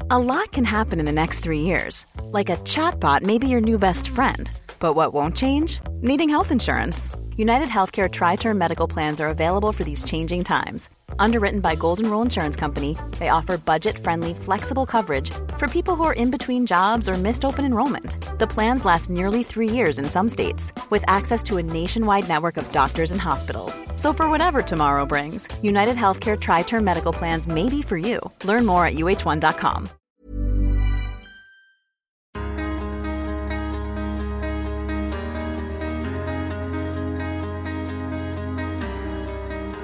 A lot can happen in the next 3 years. Like a chatbot may be your new best friend. But what won't change? Needing health insurance. United Healthcare Tri-Term Medical Plans are available for these changing times. Underwritten by Golden Rule Insurance Company, they offer budget-friendly, flexible coverage for people who are in between jobs or missed open enrollment. The plans last nearly 3 years in some states, with access to a nationwide network of doctors and hospitals. So for whatever tomorrow brings, United Healthcare Tri-Term Medical Plans may be for you. Learn more at uh1.com.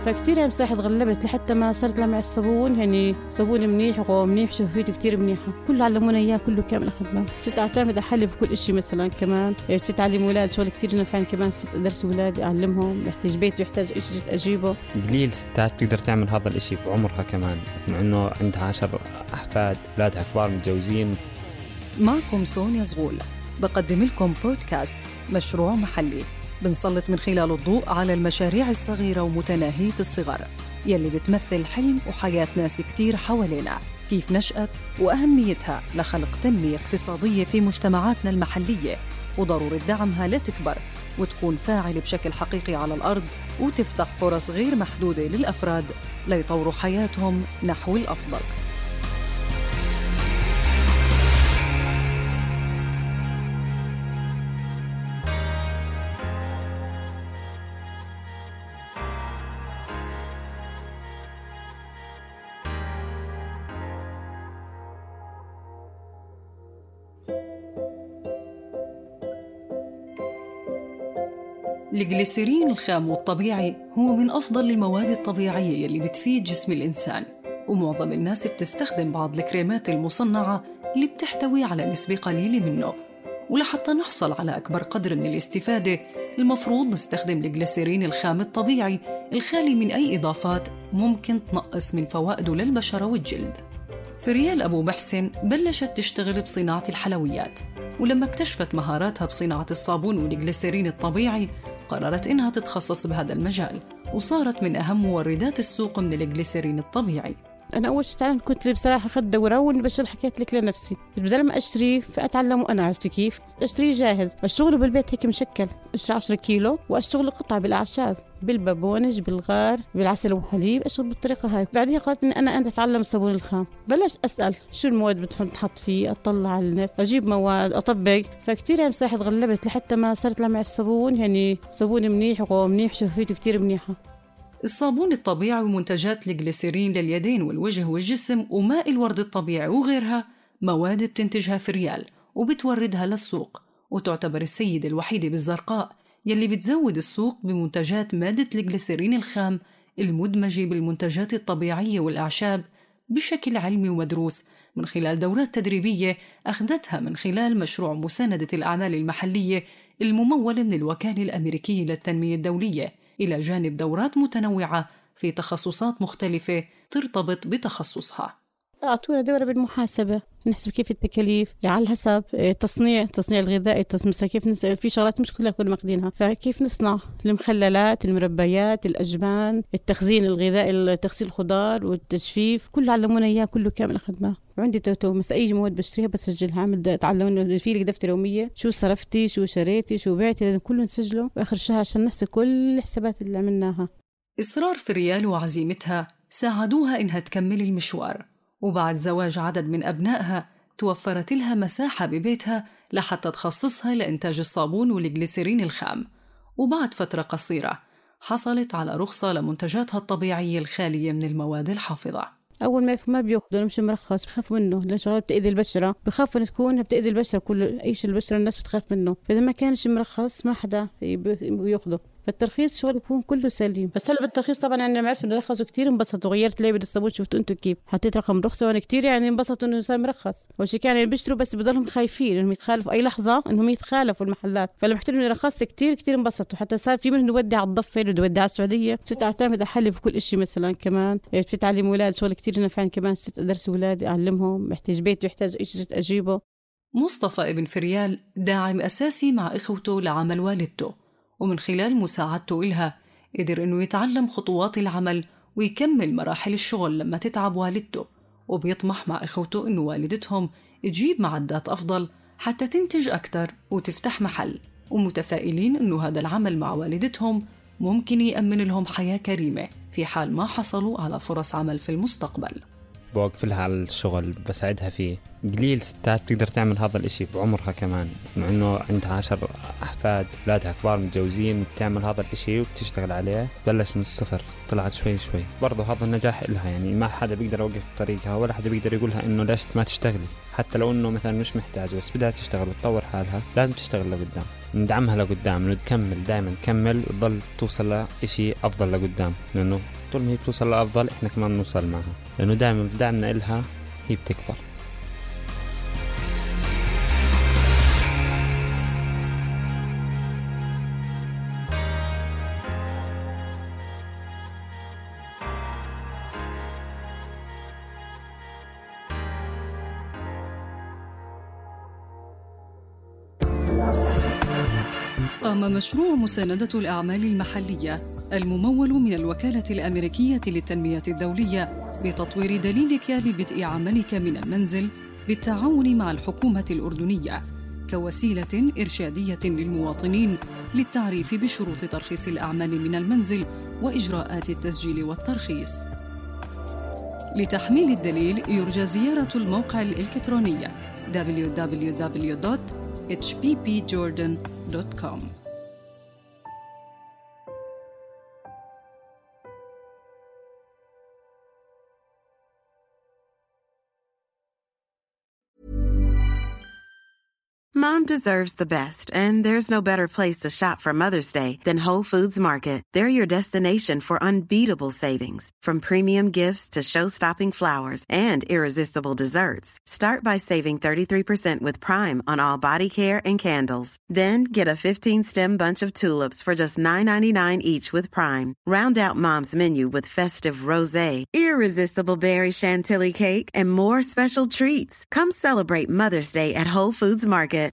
فكتير يعني مساحة تغلبت لحتى ما صرت لمع الصابون، يعني صابون منيح وقوام منيح شفافيته كتير منيحة، كله علمونا إياه كله كامل أخذناه. صرت أعتمد أحلي في كل إشي مثلا كمان بتعلم أولاد شغل كتير نفعن كمان. صرت أدرس أولادي أعلمهم يحتاج بيت ويحتاج إشي أجيبه. قليل ستات تقدر تعمل هذا الإشي بعمرها كمان، مع إنه عندها 10 أحفاد، أولادها كبار متجوزين. معكم سونيا زغول، بقدم لكم بودكاست مشروع محلي، بنسلط من خلال الضوء على المشاريع الصغيرة ومتناهية الصغر يلي بتمثل حلم وحياة ناس كتير حوالينا، كيف نشأت وأهميتها لخلق تنمية اقتصادية في مجتمعاتنا المحلية، وضرورة دعمها لتكبر وتكون فاعل بشكل حقيقي على الأرض، وتفتح فرص غير محدودة للأفراد ليطوروا حياتهم نحو الأفضل. الجليسيرين الخام والطبيعي هو من أفضل المواد الطبيعية اللي بتفيد جسم الإنسان، ومعظم الناس بتستخدم بعض الكريمات المصنعة اللي بتحتوي على نسبة قليلة منه. ولحتى نحصل على أكبر قدر من الاستفادة المفروض نستخدم الجليسيرين الخام الطبيعي الخالي من أي إضافات ممكن تنقص من فوائده للبشرة والجلد. فريال أبو محسن بلشت تشتغل بصناعة الحلويات، ولما اكتشفت مهاراتها بصناعة الصابون والجليسيرين الطبيعي قررت إنها تتخصص بهذا المجال، وصارت من أهم موردات السوق من الجليسيرين الطبيعي. أنا أول شيء تعلمت كنت بصراحة أخذت دورة والبشر حكيت لك لنفسي بدل ما أشتري فأتعلم وأنا عرفت كيف أشتري جاهز، أشتغله بالبيت هيك مشكل، أشتري 10 كيلو وأشتغل قطع بالأعشاب بالبابونج بالغار بالعسل وحليب، أشتغل بالطريقة هاي. بعدها قالت إني أنا أتعلم الصابون الخام، بلش أسأل شو المواد بتحط فيه، أطلع على النت أجيب مواد أطبق، فكتير يعني مساحة تغلبت لحتى ما صرت لمع الصابون، يعني صابون منيح وقوام منيح شفافيته كتير منيحة. الصابون الطبيعي ومنتجات الجليسيرين لليدين والوجه والجسم وماء الورد الطبيعي وغيرها مواد بتنتجها فريال وبتوردها للسوق، وتعتبر السيدة الوحيدة بالزرقاء يلي بتزود السوق بمنتجات مادة الجليسيرين الخام المدمجة بالمنتجات الطبيعية والأعشاب بشكل علمي ومدروس من خلال دورات تدريبية أخذتها من خلال مشروع مساندة الأعمال المحلية الممول من الوكالة الأمريكية للتنمية الدولية، إلى جانب دورات متنوعة في تخصصات مختلفة ترتبط بتخصصها. أعطونا دورة بالمحاسبة، نحسب كيف التكاليف على حسب تصنيع الغذائي، كيف في شغلات مش كلها كنا ماخدينها، فكيف نصنع المخللات المربيات الأجبان التخزين الغذائي تخزين الخضار والتجفيف، كله علمونا إياه كله كامل أخذناه. وعندي توتو مثل أي مواد بشتريها بسجلها، عامل تعلمنا في لك دفتر يومية شو صرفتي شو شريتي شو بعتي، لازم كله نسجله بآخر الشهر عشان نحسب كل الحسابات اللي عملناها. إصرار فريال وعزيمتها ساعدوها إنها تكمل المشوار، وبعد زواج عدد من أبنائها توفرت لها مساحة ببيتها لحتى تخصصها لإنتاج الصابون والجليسيرين الخام. وبعد فترة قصيرة حصلت على رخصة لمنتجاتها الطبيعية الخالية من المواد الحافظة. أول ما بيأخذوا مش مرخص بخافوا منه، لأن شغلة بتأذي البشرة، بخافوا إن تكون بتأذي البشرة، كل أي شيء البشرة الناس بتخاف منه، فإذا ما كانش مرخص ما حدا يأخذه. فالترخيص شغل يكون كله سليم. بس هلا بالترخيص طبعا أنا معرف إنه رخصوا كتير انبسطوا، غيرت ليبل الصابون شفتوا أنتوا كيف حطيت رقم رخصة، وأنا كتير يعني انبسطوا إنه صار مرخص. وشي كان يعني بيشتروا بس بضلهم خايفين إنهم يتخالفوا أي لحظة، إنهم يتخالفوا المحلات، فلما حكيت إنه رخصت كتير انبسطوا، حتى صار في منهم يودي على الضفة يودي على السعودية. صرت أعتمد أحلي في كل إشي مثلا كمان بتعلم أولاد شغل كتير نفعن كمان. صرت أدرس أولادي أعلمهم يحتاج بيت ويحتاج إشي أجيبه. مصطفى ابن فريال داعم أساسي مع إخوته لعمل والدته، ومن خلال مساعدته إلها قدر إنه يتعلم خطوات العمل ويكمل مراحل الشغل لما تتعب والدته، وبيطمح مع إخوته إنه والدتهم تجيب معدات أفضل حتى تنتج أكتر وتفتح محل، ومتفائلين إنه هذا العمل مع والدتهم ممكن يأمن لهم حياة كريمة في حال ما حصلوا على فرص عمل في المستقبل. بوقف لها على الشغل، بساعدها فيه. قليل ستات بتقدر تعمل هذا الاشي بعمرها كمان، مع انه عندها 10 احفاد، اولادها كبار متجوزين، بتعمل هذا الاشي وبتشتغل عليه. بلش من الصفر، طلعت شوي شوي. برضه هذا النجاح إلها، يعني ما حدا بيقدر يوقف طريقها ولا حدا بيقدر يقولها انه ليش ما تشتغلي، حتى لو انه مثلا مش محتاجة بس بدها تشتغل وتطور حالها، لازم تشتغل لقدام. ندعمها لقدام، نكمل دائما نكمل وتضل توصل لإشي افضل لقدام، لانه طول ما هي بتوصل لأفضل إحنا كمان نوصل معها، لأنه دائما بدعمنا إلها هي بتكبر. قام مشروع مساندة الأعمال المحلية الممول من الوكالة الأمريكية للتنمية الدولية بتطوير دليلك لبدء عملك من المنزل بالتعاون مع الحكومة الأردنية كوسيلة إرشادية للمواطنين للتعريف بشروط ترخيص الأعمال من المنزل وإجراءات التسجيل والترخيص. لتحميل الدليل يرجى زيارة الموقع الإلكتروني www.hppjordan.com. Mom deserves the best, and there's no better place to shop for Mother's Day than Whole Foods Market. They're your destination for unbeatable savings, from premium gifts to show-stopping flowers and irresistible desserts. Start by saving 33% with Prime on all body care and candles. Then get a 15-stem bunch of tulips for just $9.99 each with Prime. Round out Mom's menu with festive rosé, irresistible berry chantilly cake, and more special treats. Come celebrate Mother's Day at Whole Foods Market.